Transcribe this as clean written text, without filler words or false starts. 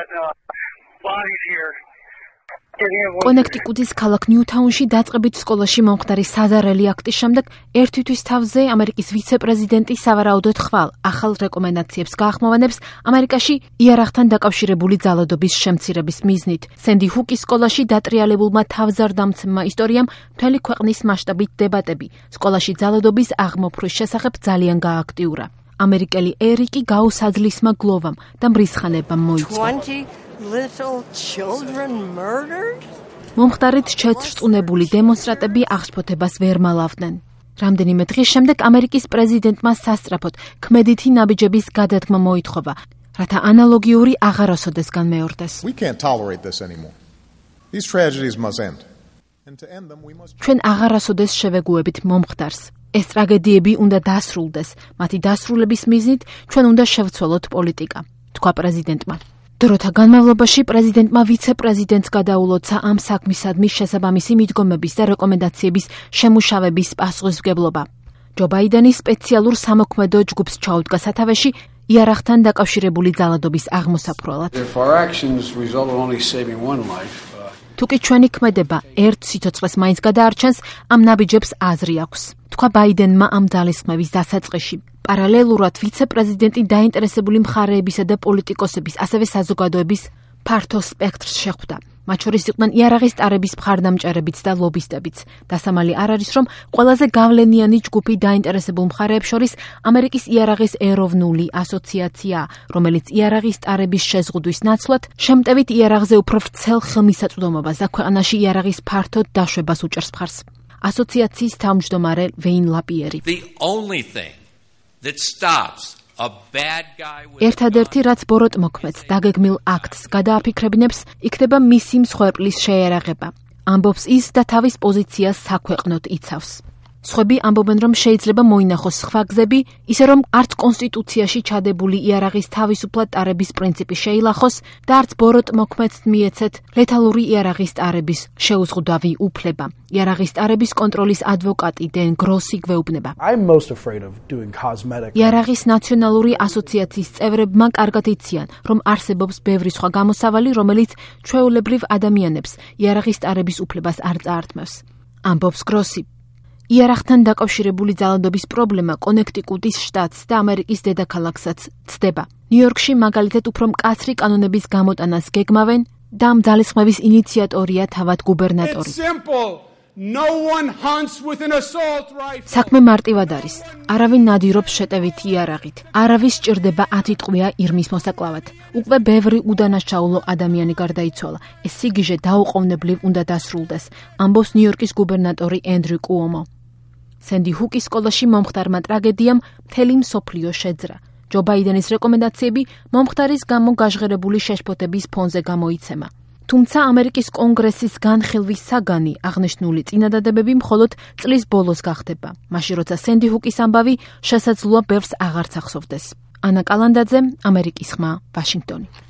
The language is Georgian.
got bodies here. კონექტიკუტის ქალაქ ნიუთაუნში დაწყებით სკოლაში მომხდარი საზარელი აქტის შემდეგ ერთი თვის თავზე ამერიკის ვიცე-პრეზიდენტი სავარაუდოდ ხვალ ახალ რეკომენდაციებს გაახმოვანებს ამერიკაში იარაღთან დაკავშირებული ძალადობის შემცირების მიზნით. სენდი ჰუკის სკოლაში დატრიალებულმა თავზარდამცემმა ისტორიამ მთელი ქვეყნის მასშტაბით დებატები სკოლაში ძალადობის აღმოფხვის შესახებ ძალიან გააქტიურა. ამერიკელი ერიკი გაუსაძლისმა გლოვამ და მრისხანებამ მოიწყო. Little children murdered? მომხდარით შეწრწუნებული დემონსტრანტები აღშფოთებას ვერ მალავდნენ. რამდენიმე დღის შემდეგ ამერიკის პრეზიდენტმა სასწრაფოდ ქმედითი ნაბიჯების გადადგმა მოითხოვა, რათა ანალოგიური აღარასოდეს განმეორდეს. We can't tolerate this anymore. These tragedies must end. And to end them we must ჩვენ აღარასოდეს შევეგუებით მომხდარს. ეს ტრაგედიები უნდა დასრულდეს. მათი დასრულების მიზნით ჩვენ უნდა შევცვალოთ პოლიტიკა, თქვა პრეზიდენტმა. დროთა განმავლობაში პრეზიდენტმა ვიცე-პრეზიდენტს გადაულოცა ამ საქმისადმი შესაბამისი მიდგომების და რეკომენდაციების შემუშავების პასუხისმგებლობა. ჯო ბაიდენი სპეციალურ სამოქმედო ჯგუფს ჩაუდგა სათავეში იარაღთან დაკავშირებული ძალადობის აღმოსაფრველად. თუკი ჩვენი ქმედება ერთ სიცოცხლეს მაინც გადაარჩენს, ამ ნაბიჯებს აზრი აქვს, თქვა ბაიდენმა ამ ძალისხმევის დასაწყისში. პარალელურად ვიცე-პრეზიდენტი დაინტერესებული მხარეებისა და პოლიტიკოსების, ასევე საზოგადოების ფართო სპექტრს შეხვდა. მათ შორის იყვნენ იარაღის ტარების მხარდამჭერებიც და ლობისტებიც. დასამალი არ არის, რომ ყველაზე გავლენიანი ჯგუფი დაინტერესებულ მხარეებს შორის ამერიკის იარაღის ეროვნული ასოციაციაა, რომელიც იარაღის ტარების შეზღუდვის ნაცვლად შემტევით იარაღზე უფრო ვრცელ ხელმისაწვდომობას და ქვეყანაში იარაღის ფართოდ დაშვებას უჭერს მხარს. ასოციაციის თავმჯდომარე ვეინ ლაპიერი. ერთადერთი რაც ბოროტმოქმედს დაგეგმილ აქტს გადააფიქრებინებს, იქნება მისი მსხვერპლის შეერაღება. ამბობს ის და თავის პოზიციას საქვეყნოდ იცავს. სხვები ამბობენ, რომ შეიძლება მოინახოს სხვა გზები, ისე რომ არც კონსტიტუციაში ჩადებული იარაღის თავისუფლად ტარების პრინციპი შეილახოს და არც ბოროტმოქმედს მიეცეთ ლეთალური იარაღის ტარების შეუზღუდავი უფლება. იარაღის ტარების კონტროლის ადვოკატი დენ გროსი გვეუბნება. იარაღის ნაციონალური ასოციაციის წევრებმა კარგად იციან, რომ არსებობს ბევრი სხვა გამოსავალი, რომელიც ჩვეულებრივ ადამიანებს იარაღის ტარების უფლებას არ წაართმევს. ამბობს გროსი. იარაღთან დაკავშირებული ძალადობის პრობლემა კონექტიკუტის შტატს და ამერიკის დედაქალაქსაც ცდება. ნიუ-იორკში მაგალითად უფრო მკაცრი კანონების გამოტანას გეგმავენ და ამ ძალისხმევის ინიციატორია თავად გუბერნატორი. საქმე მარტივად არის. არავინ ნადირობს შეტევითი იარაღით. არავის სჭირდება 10 ტყვია ირმის მოსაკლავად. უკვე ბევრი უდანაშაულო ადამიანი გარდაიცვალა. ეს სიგიჟე დაუყოვნებლივ უნდა დასრულდეს, ამბობს ნიუ-იორკის გუბერნატორი ენდრიუ კუომო. სენდი ჰუკის სკოლაში მომხდარმა ტრაგედიამ მთელი მსოფლიო შეძრა. ჯო ბაიდენის რეკომენდაციები მომხდარის გამო გაჟღერებული შეშფოთების ფონზე გამოიცემა. თუმცა ამერიკის კონგრესის განხილვის საგანი აღნიშნული წინადადებები მხოლოდ წლის ბოლოს გახდება, მაშინ როცა სენდი ჰუკის ამბავი შესაძლოა ბევრს აღარც ახსოვდეს. ანა კალანდაძე, ამერიკის ხმა, ვაშინგტონი.